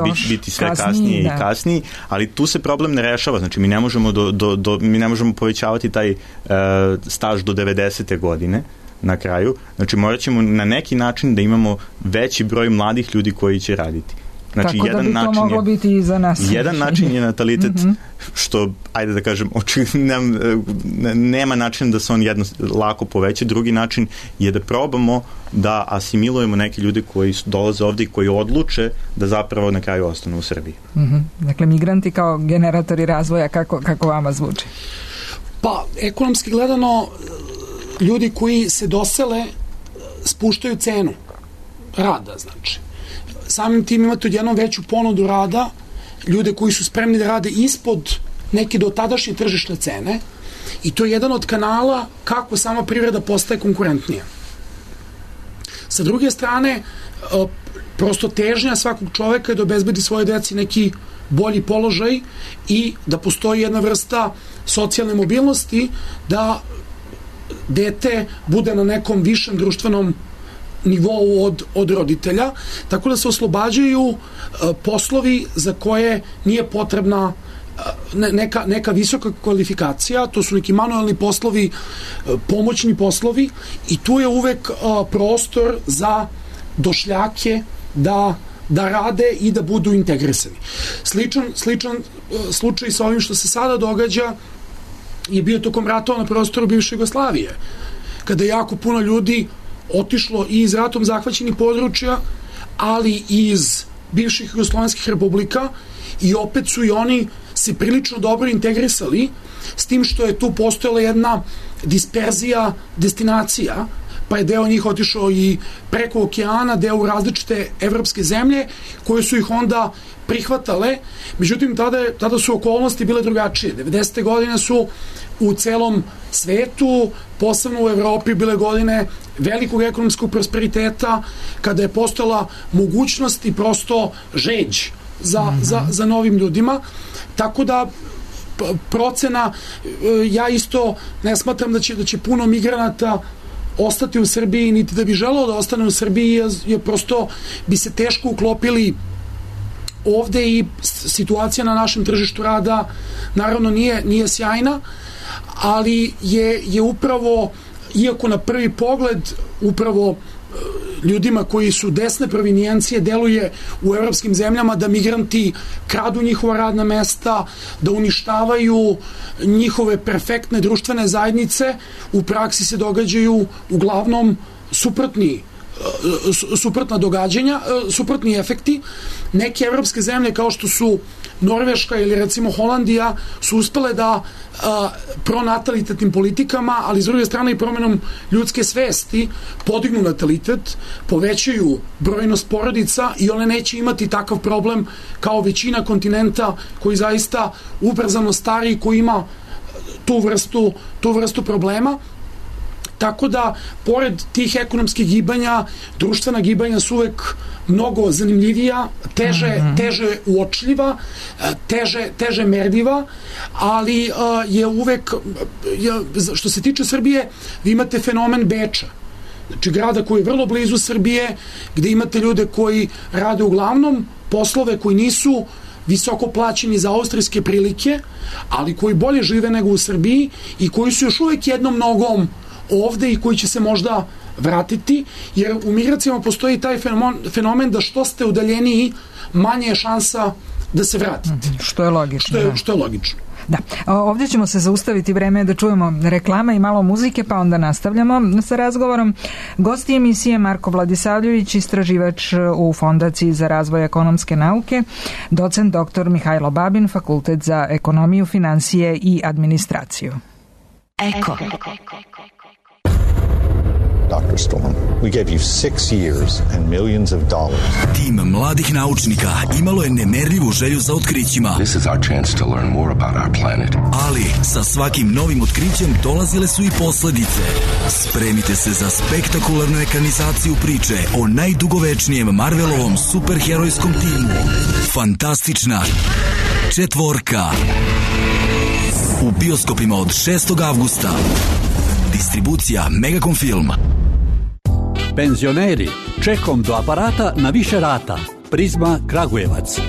biti, biti sve kasnije, kasnije i kasnije, ali tu se problem ne rešava. Znači mi ne možemo, do, do, do, mi ne možemo povećavati taj staž do devedesete godine na kraju. Znači morat ćemo na neki način da imamo veći broj mladih ljudi koji će raditi. Znači, tako jedan da bi to način moglo je, biti i za nas. Jedan način je natalitet, mm-hmm. što, ajde da kažem, nema, nema način da se on jedno lako poveća. Drugi način je da probamo da asimilujemo neke ljude koji dolaze ovde i koji odluče da zapravo na kraju ostanu u Srbiji. Mm-hmm. Dakle, migranti kao generatori razvoja, kako, kako vama zvuči? Pa, ekonomski gledano, ljudi koji se dosele spuštaju cenu rada, znači. Samim tim imate odjednom veću ponudu rada, ljude koji su spremni da rade ispod neke do tadašnje tržišne cene, i to je jedan od kanala kako sama privreda postaje konkurentnija. Sa druge strane, prosto težnja svakog čoveka je da obezbedi svoje deci neki bolji položaj i da postoji jedna vrsta socijalne mobilnosti, da dete bude na nekom višem društvenom nivou od, od roditelja, tako da se oslobađaju uh, poslovi za koje nije potrebna uh, neka, neka visoka kvalifikacija. To su neki manuelni poslovi, uh, pomoćni poslovi, i tu je uvek uh, prostor za došljake da, da rade i da budu integrisani. Sličan, sličan uh, slučaj sa ovim što se sada događa je bio tokom ratova na prostoru bivše Jugoslavije, kada je jako puno ljudi otišlo i iz ratom zahvaćenih područja, ali i iz bivših jugoslovenskih republika, i opet su i oni se prilično dobro integrisali, s tim što je tu postojala jedna disperzija destinacija, pa je deo njih otišao i preko okeana, deo u različite evropske zemlje, koje su ih onda prihvatale. Međutim, tada, tada su okolnosti bile drugačije. devedesete godine su u celom svetu, posebno u Evropi, bile godine velikog ekonomskog prosperiteta, kada je postojala mogućnost i prosto žeđ za, mm-hmm. za, za novim ljudima. Tako da procena, ja isto ne smatram da će, da će puno migranata ostati u Srbiji, niti da bi želeo da ostane u Srbiji, jer, jer prosto bi se teško uklopili ovde, i situacija na našem tržištu rada naravno nije, nije sjajna, ali je, je upravo, iako na prvi pogled upravo ljudima koji su desne provinijencije deluje u evropskim zemljama da migranti kradu njihova radna mesta, da uništavaju njihove perfektne društvene zajednice, u praksi se događaju uglavnom suprotni suprotna događanja, suprotni efekti. Neke evropske zemlje kao što su Norveška ili recimo Holandija su uspele da a, pronatalitetnim politikama, ali s druge strane i promenom ljudske svesti podignu natalitet, povećaju brojnost porodica, i one neće imati takav problem kao većina kontinenta koji zaista ubrzano stari, koji ima tu vrstu, tu vrstu problema. Tako da, pored tih ekonomskih gibanja, društvena gibanja su uvek mnogo zanimljivija, teže, mm-hmm. teže uočljiva, teže, teže merljiva, ali uh, je uvek, je, što se tiče Srbije, vi imate fenomen Beča, znači grada koji je vrlo blizu Srbije, gde imate ljude koji rade uglavnom poslove koji nisu visoko plaćeni za austrijske prilike, ali koji bolje žive nego u Srbiji i koji su još uvek jednom nogom ovde i koji će se možda vratiti, jer u migracijama postoji taj fenomen, fenomen da što ste udaljeniji, manje je šansa da se vratite. Što je logično. Što je, što je logično. Da. Ovdje ćemo se zaustaviti, vreme da čujemo reklame i malo muzike, pa onda nastavljamo sa razgovorom. Gosti emisije Marko Vladisavljević, istraživač u Fondaciji za razvoj ekonomske nauke, docent doktor Mihajlo Babin, Fakultet za ekonomiju, finansije i administraciju. Eko. Doctor Storm. We gave you six years and millions of dollars. Tim mladih naučnika imalo je nemerljivu želju za otkrićima. This is our chance to learn more about our planet. Ali sa svakim novim otkrićem dolazile su i posledice. Spremite se za spektakularnu ekranizaciju priče o najdugovečnijem Marvelovom superherojskom timu. Fantastična četvorka. U bioskopima od šestog avgusta. Distribucija Megacom Film. Penzioneri, čekom do aparata na više rata. Prizma Kragujevac.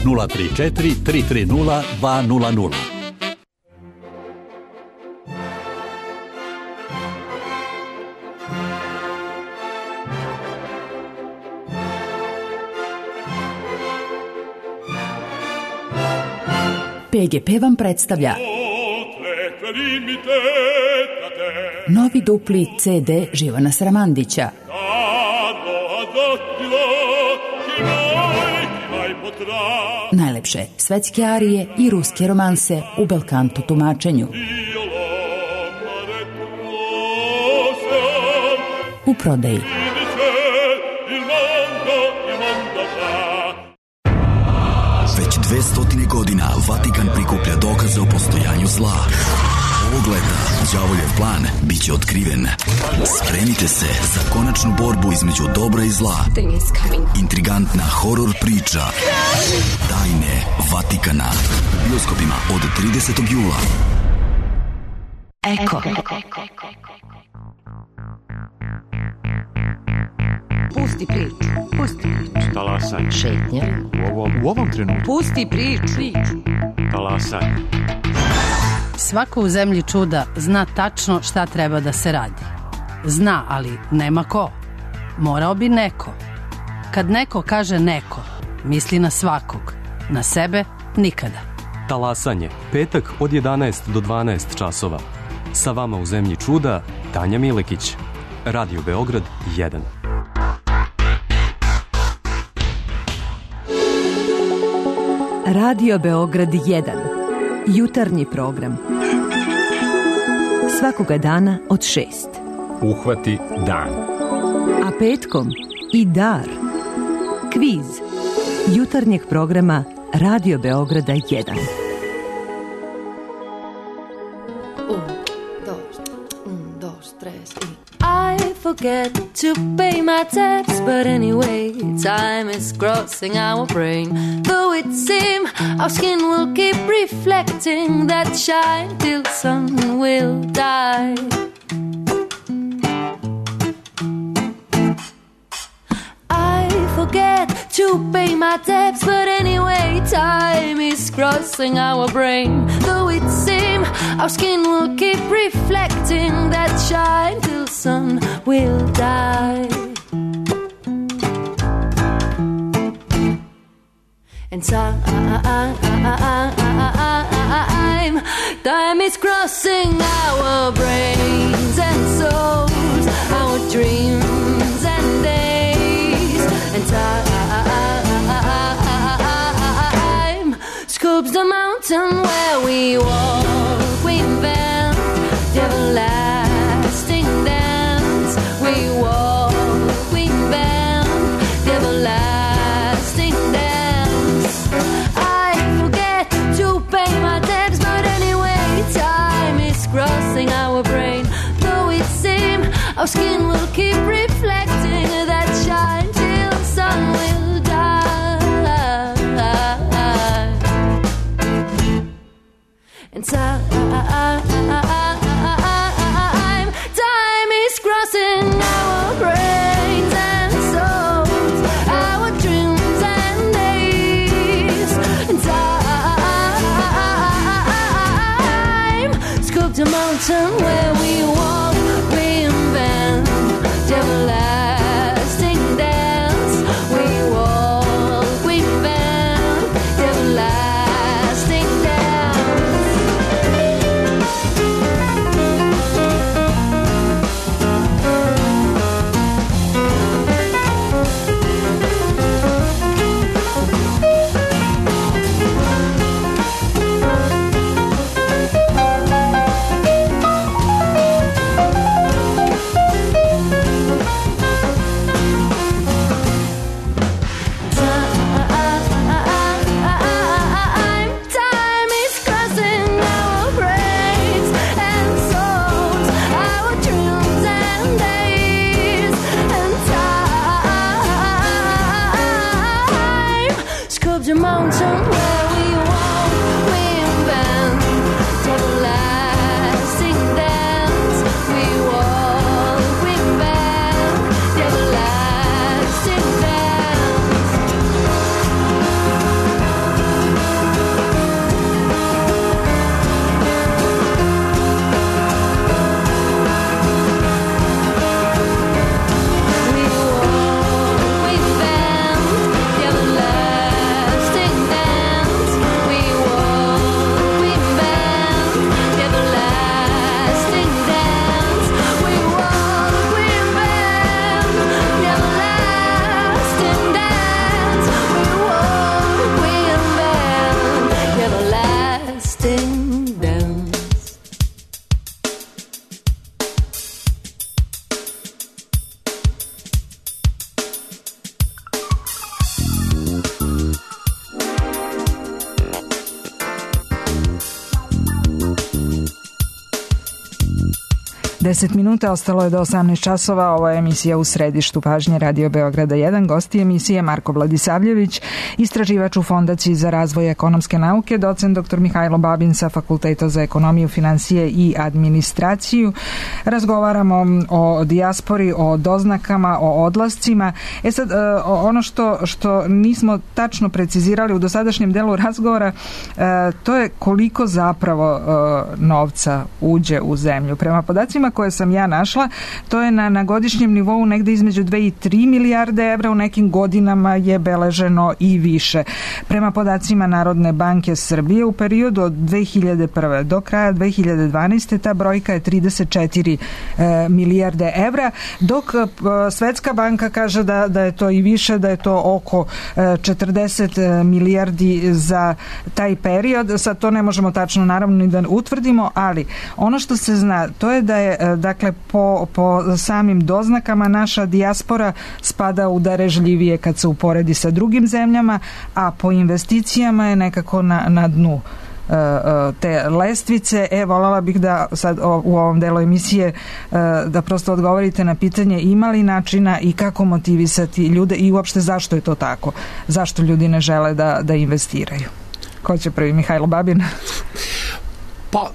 nula tri četiri tri tri nula dva nula nula. P G P vam predstavlja novi dupli C D Živana Sramandića. Najlepše svetske arije i ruske romanse u belkanto tumačenju. U prodaji. Već dve stotine godina Vatikan prikuplja dokaze o postojanju zla. Ovog leta đavoljev plan biće otkriven. Spremite se za konačnu borbu između dobra i zla. Intrigantna horor priča Tajne Vatikana. U bioskopima od tridesetog jula. Eko. Pusti priču. Pusti priču. Talasaj. Šetnja. U ovom, u ovom trenutku. Pusti priču. Talasaj. Svako u zemlji čuda zna tačno šta treba da se radi. Zna, ali nema ko. Morao bi neko. Kad neko kaže neko, misli na svakog. Na sebe nikada. Talasanje. Petak od jedanaest do dvanaest časova. Sa vama u zemlji čuda Tanja Milekić. Radio Beograd jedan. Radio Beograd jedan. Jutarnji program. Svakoga dana od šest. Uhvati dan. A petkom i dar. Kviz. Jutarnjeg programa Radio Beograda jedan. I forget to pay my tax, but anyway, time is crossing our brain. Though it seems our skin will keep reflecting that shine till sun will die. I forget to pay my debts, but anyway, time is crossing our brain. Though it seems our skin will keep reflecting that shine till sun will die. And time, time is crossing our brains and souls, our dreams and days. And time scoops the mountain where we walk, we invent the everlasting dance. We walk, we invent the everlasting dance. I forget to pay my debts, but anyway, time is crossing our brain. Though it seems our skin will keep reflecting that shine till sun will die. And time, time is crossing our brains and souls, our dreams and days. And time scooped a mountain where we walk, we invent the everlasting dance. We walk, we invent the everlasting dance. a mountain where we walk, we invent everlasting dance. We walk, we invent everlasting dance. We walk, we invent the everlasting dance. We walk, we invent the everlasting dance. We walk, we invent the everlasting dance. We walk, we invent the everlasting dance. Deset minuta, ostalo je do osamnaest časova. Ovo je emisija U središtu pažnje Radio Beograda jedan. Gosti emisije Marko Vladisavljević, istraživač u Fondaciji za razvoj ekonomske nauke, docent doktor Mihajlo Babin sa Fakulteta za ekonomiju, finansije i administraciju. Razgovaramo o dijaspori, o doznakama, o odlascima. E sad, ono što, što nismo tačno precizirali u dosadašnjem delu razgovora, to je koliko zapravo novca uđe u zemlju. Prema podacima koje sam ja našla, to je na, na godišnjem nivou negde između dve i tri milijarde evra, u nekim godinama je beleženo i više. Prema podacima Narodne banke Srbije, u periodu od dve hiljade prve do kraja dve hiljade dvanaeste ta brojka je trideset četiri e, milijarde evra, dok e, Svetska banka kaže da, da je to i više, da je to oko e, četrdeset milijardi za taj period. Sad to ne možemo tačno naravno ni da utvrdimo, ali ono što se zna, to je da je dakle po, po samim doznakama naša dijaspora spada u darežljivije kad se uporedi sa drugim zemljama, a po investicijama je nekako na, na dnu te lestvice. E, voljela bih da sad u ovom delu emisije da prosto odgovorite na pitanje ima li načina i kako motivisati ljude i uopšte zašto je to tako, zašto ljudi ne žele da, da investiraju. Ko će prvi? Mihajlo Babin? Pa,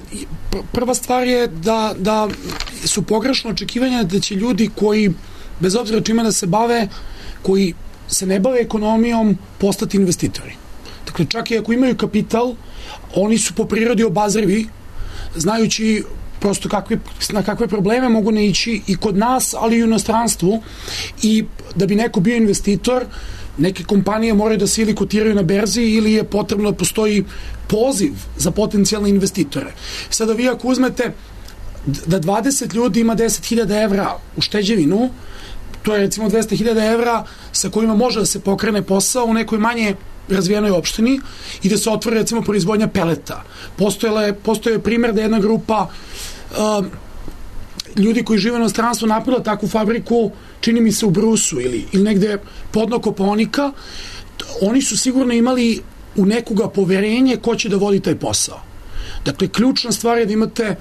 prva stvar je da, da su pogrešno očekivanja da će ljudi koji, bez obzira čime da se bave, koji se ne bave ekonomijom, postati investitori. Dakle, čak i ako imaju kapital, oni su po prirodi obazrivi, znajući prosto kakve, na kakve probleme mogu ne ići i kod nas, ali i u inostranstvu. I da bi neko bio investitor, neke kompanije moraju da se ili kotiraju na berzi ili je potrebno da postoji poziv za potencijalne investitore. Sada vi ako uzmete da dvadeset ljudi ima deset hiljada evra u šteđevinu, to je recimo dvesta hiljada evra sa kojima može da se pokrene posao u nekoj manje razvijenoj opštini i da se otvori recimo proizvodnja peleta. Postojala je, postoje primjer da jedna grupa uh, ljudi koji žive na inostranstvu napravila takvu fabriku, čini mi se u Brusu ili, ili negde podno Kopaonika. Oni su sigurno imali u nekoga poverenje ko će da vodi taj posao. Dakle, ključna stvar je da imate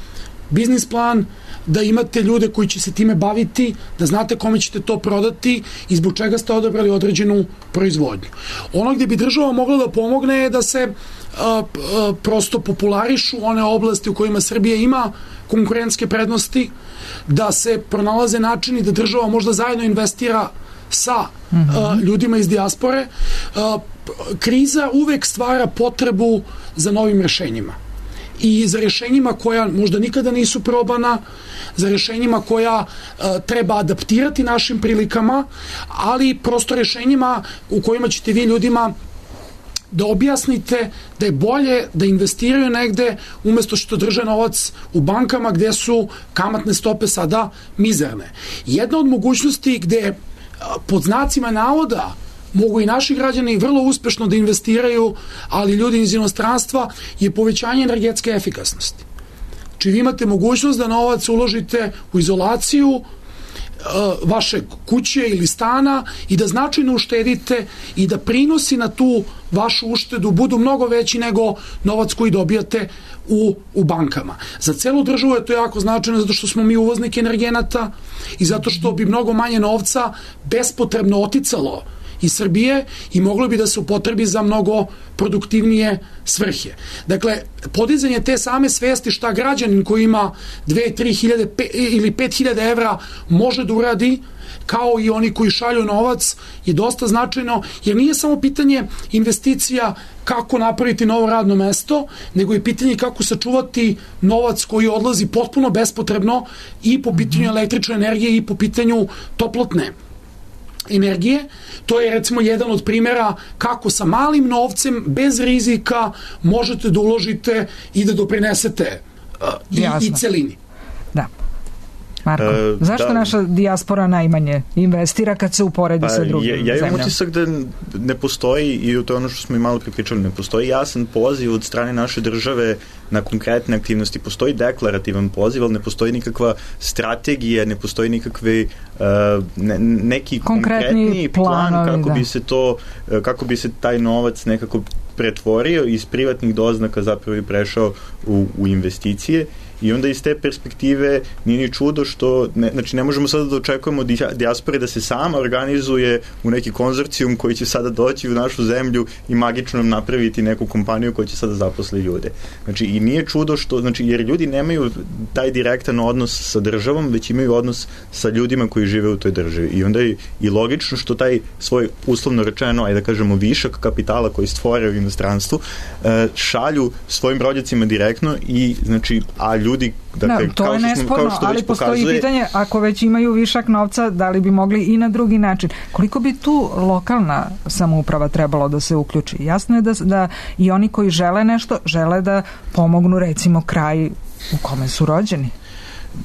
biznis plan, da imate ljude koji će se time baviti, da znate kome ćete to prodati i zbog čega ste odabrali određenu proizvodnju. Ono gdje bi država mogla da pomogne je da se a, a, prosto popularišu one oblasti u kojima Srbija ima konkurentske prednosti, da se pronalaze načini da država možda zajedno investira sa mm-hmm. a, ljudima iz dijaspore. A, kriza uvek stvara potrebu za novim rešenjima. I za rješenjima koja možda nikada nisu probana, za rješenjima koja uh, treba adaptirati našim prilikama, ali prosto rješenjima u kojima ćete vi ljudima da objasnite da je bolje da investiraju negde umjesto što drže novac u bankama gde su kamatne stope sada mizerne. Jedna od mogućnosti gde uh, pod znacima navoda mogu i naši građani vrlo uspešno da investiraju, ali ljudi iz inostranstva, je povećanje energetske efikasnosti. Či vi imate mogućnost da novac uložite u izolaciju uh, vaše kuće ili stana i da značajno uštedite i da prinosi na tu vašu uštedu budu mnogo veći nego novac koji dobijate u, u bankama. Za celu državu je to jako značajno zato što smo mi uvoznik energenata i zato što bi mnogo manje novca bespotrebno oticalo iz Srbije i moglo bi da se upotrebi za mnogo produktivnije svrhe. Dakle, podizanje te same svesti šta građanin koji ima dve, tri hiljade ili pet hiljada evra može da uradi, kao i oni koji šalju novac, je dosta značajno, jer nije samo pitanje investicija kako napraviti novo radno mesto, nego je pitanje kako sačuvati novac koji odlazi potpuno bespotrebno i po pitanju električne energije i po pitanju toplotne energije. To je recimo jedan od primjera kako sa malim novcem, bez rizika, možete da uložite i da doprinesete uh, i, i celini. Da. Marko, e, zašto da, naša dijaspora najmanje investira kad se uporedi pa, sa drugim zemljama? Ja imam utisak da ne postoji, i to je ono što smo i malo pripričali, ne postoji jasan poziv od strane naše države na konkretne aktivnosti. Postoji deklarativan poziv, ali ne postoji nikakva strategija, ne postoji nikakve uh, ne, neki konkretni, konkretni plan planovi, kako da. bi se to, kako bi se taj novac nekako pretvorio iz privatnih doznaka zapravo i prešao u, u investicije. I onda iz te perspektive nije ni čudo što, ne, znači ne možemo sada da očekujemo dijaspore da se sama organizuje u neki konzorcijum koji će sada doći u našu zemlju i magično napraviti neku kompaniju koja će sada zaposli ljude. Znači i nije čudo što, znači jer ljudi nemaju taj direktan odnos sa državom, već imaju odnos sa ljudima koji žive u toj državi. I onda je i logično što taj svoj uslovno rečeno, ajde da kažemo višak kapitala koji stvore u inostranstvu, šalju svojim rođacima direktno i znači, a ljudi, dakle, no, to kao je što nesporno, smo, kao ali postoji pokazuje, pitanje, ako već imaju višak novca, da li bi mogli i na drugi način. Koliko bi tu lokalna samouprava trebalo da se uključi? Jasno je da, da i oni koji žele nešto, žele da pomognu recimo kraj u kome su rođeni.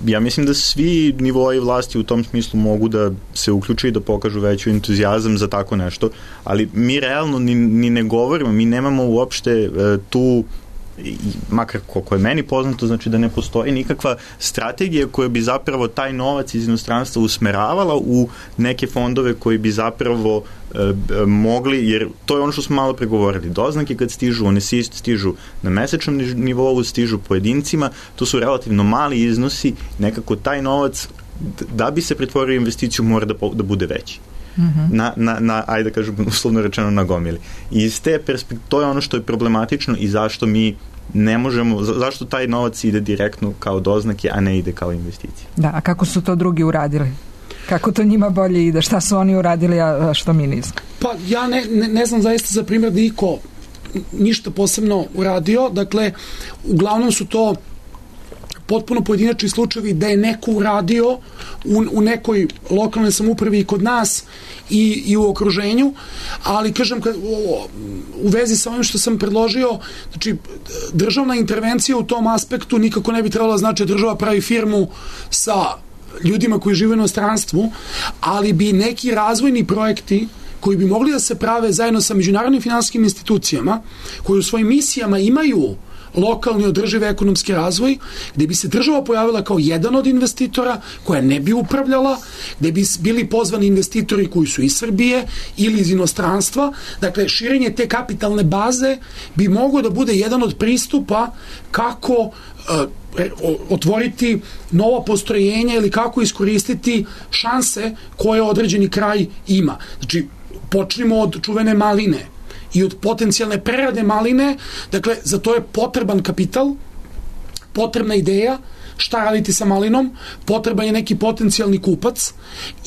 Ja mislim da svi nivoi vlasti u tom smislu mogu da se uključe i da pokažu veću entuzijazam za tako nešto, ali mi realno ni, ni ne govorimo, mi nemamo uopšte e, tu, makar koliko je meni poznato, znači da ne postoji nikakva strategija koja bi zapravo taj novac iz inostranstva usmeravala u neke fondove koji bi zapravo e, mogli, jer to je ono što smo malo pregovorili, doznake kad stižu, one stižu na mesečnom nivou, stižu pojedincima, to su relativno mali iznosi, nekako taj novac da bi se pretvorio u investiciju mora da, da bude veći. Mm-hmm. Na, na, na, ajde da kažem, uslovno rečeno na gomili. I iz te perspektive, to je ono što je problematično i zašto mi ne možemo, za, zašto taj novac ide direktno kao doznake, a ne ide kao investicije. Da, a kako su to drugi uradili? Kako to njima bolje ide? Šta su oni uradili, a što mi nismo? Pa ja ne, ne, ne znam zaista za primjer da iko ništa posebno uradio. Dakle, uglavnom su to potpuno pojedinačni slučajevi da je neko uradio u, u nekoj lokalnoj samoupravi i kod nas i, i u okruženju, ali kažem kad, u, u vezi sa ovim što sam predložio, znači državna intervencija u tom aspektu nikako ne bi trebala znači država pravi firmu sa ljudima koji žive u inostranstvu, ali bi neki razvojni projekti koji bi mogli da se prave zajedno sa međunarodnim finansijskim institucijama koji u svojim misijama imaju lokalni održivi ekonomski razvoj, gde bi se država pojavila kao jedan od investitora koja ne bi upravljala, gde bi bili pozvani investitori koji su iz Srbije ili iz inostranstva. Dakle, širenje te kapitalne baze bi moglo da bude jedan od pristupa kako uh, otvoriti nova postrojenja ili kako iskoristiti šanse koje određeni kraj ima. Znači, počnimo od čuvene maline i od potencijalne prerade maline, dakle, za to je potreban kapital, potrebna ideja, šta raditi sa malinom, potreban je neki potencijalni kupac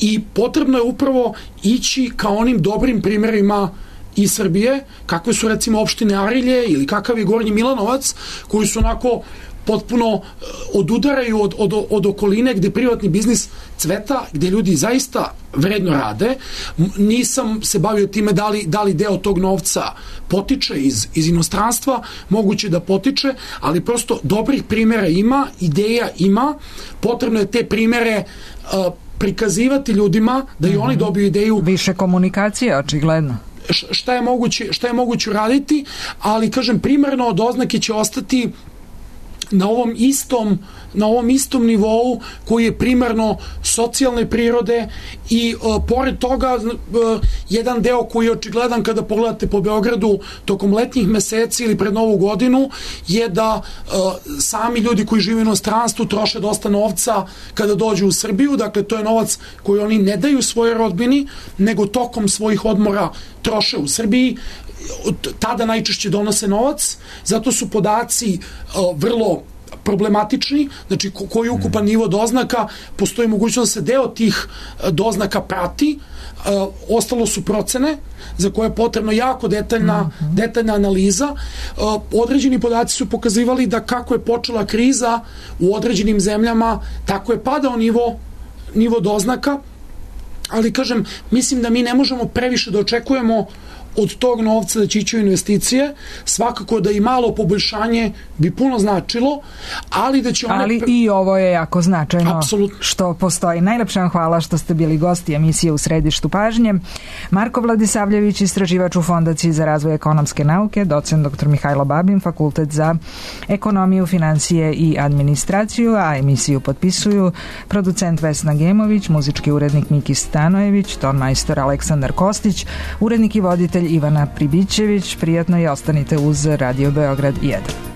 i potrebno je upravo ići ka onim dobrim primjerima iz Srbije, kakve su recimo opštine Arilje ili kakav je Gornji Milanovac, koji su onako potpuno odudaraju od, od, od okoline gde privatni biznis cveta, gde ljudi zaista vredno rade. Nisam se bavio time da li, da li deo tog novca potiče iz, iz inostranstva, moguće da potiče, ali prosto dobrih primjera ima, ideja ima, potrebno je te primjere uh, prikazivati ljudima da i oni dobiju ideju. Više komunikacije, očigledno. Šta je moguće, šta je moguće raditi, ali kažem, primarno od oznake će ostati na ovom istom na ovom istom nivou koji je primarno socijalne prirode i uh, pored toga uh, jedan deo koji je očigledan kada pogledate po Beogradu tokom letnjih meseci ili pred Novu godinu je da uh, sami ljudi koji žive u inostranstvu troše dosta novca kada dođu u Srbiju, dakle to je novac koji oni ne daju svojoj rodbini, nego tokom svojih odmora troše u Srbiji, tada najčešće donose novac, zato su podaci uh, vrlo problematični, znači ko, koji je ukupan nivo doznaka, postoji mogućnost da se deo tih doznaka prati, uh, ostalo su procene za koje je potrebno jako detaljna, mm-hmm. detaljna analiza. Uh, određeni podaci su pokazivali da kako je počela kriza u određenim zemljama, tako je padao nivo, nivo doznaka, ali kažem, mislim da mi ne možemo previše da očekujemo od tog novca da će ići u investicije, svakako da i malo poboljšanje bi puno značilo, ali da će one... Ali i ovo je jako značajno. Apsolutno. Što postoji. Najlepša vam hvala što ste bili gosti emisije U središtu pažnje. Marko Vladisavljević, istraživač u Fondaciji za razvoj ekonomske nauke, docent doktor Mihajlo Babin, Fakultet za ekonomiju, financije i administraciju, a emisiju potpisuju producent Vesna Gemović, muzički urednik Miki Stanojević, ton majstor Aleksandar Kostić, urednik i voditelj Ivana Pribićević. Prijatno i ostanite uz Radio Beograd jedan.